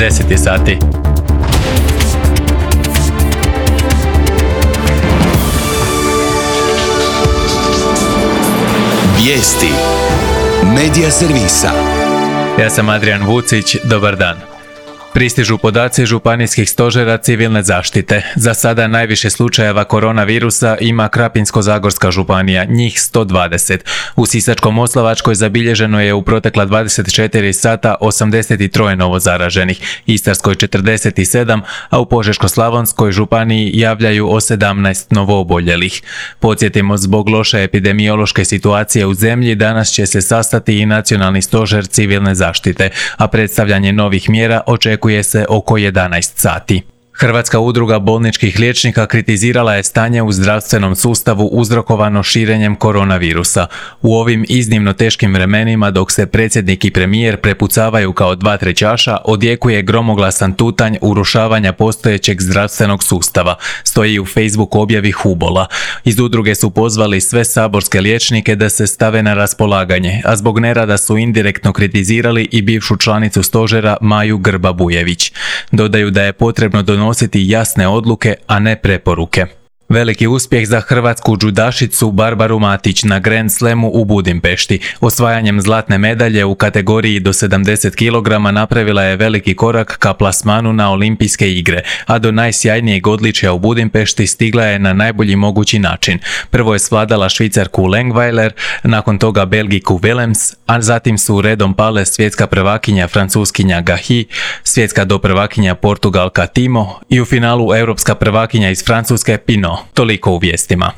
10 je sati. Vijesti Medija servisa. Ja sam Adrian Vucić, dobar dan. Pristižu podaci županijskih stožera civilne zaštite. Za sada najviše slučajeva koronavirusa ima Krapinsko-zagorska županija, njih 120. U Sisačko-moslavačkoj zabilježeno je u protekla 24 sata 83 novo zaraženih, Istarskoj 47, a u Požeško-slavonskoj županiji javljaju o 17 novooboljelih. Podsjetimo, zbog loše epidemiološke situacije u zemlji danas će se sastati i Nacionalni stožer civilne zaštite, a predstavljanje novih mjera očekuje se oko 11 sati. Hrvatska udruga bolničkih liječnika kritizirala je stanje u zdravstvenom sustavu uzrokovano širenjem koronavirusa. U ovim iznimno teškim vremenima, dok se predsjednik i premijer prepucavaju kao dva trećaša, odjekuje gromoglasan tutanj urušavanja postojećeg zdravstvenog sustava, stoji u Facebook objavi HUBOL-a. Iz udruge su pozvali sve saborske liječnike da se stave na raspolaganje, a zbog nerada su indirektno kritizirali i bivšu članicu stožera Maju Grba-Bujević. Dodaju da je potrebno donositi jasne odluke, a ne preporuke. Veliki uspjeh za hrvatsku džudašicu Barbaru Matić na Grand Slamu u Budimpešti. Osvajanjem zlatne medalje u kategoriji do 70 kg napravila je veliki korak ka plasmanu na olimpijske igre, a do najsjajnijeg odličja u Budimpešti stigla je na najbolji mogući način. Prvo je svladala Švicarku Lengweiler, nakon toga Belgiku Willems, a zatim su redom pale svjetska prvakinja Francuskinja Gahi, svjetska doprvakinja Portugalka Timo i u finalu europska prvakinja iz Francuske Pinot. Toliko u vijestima.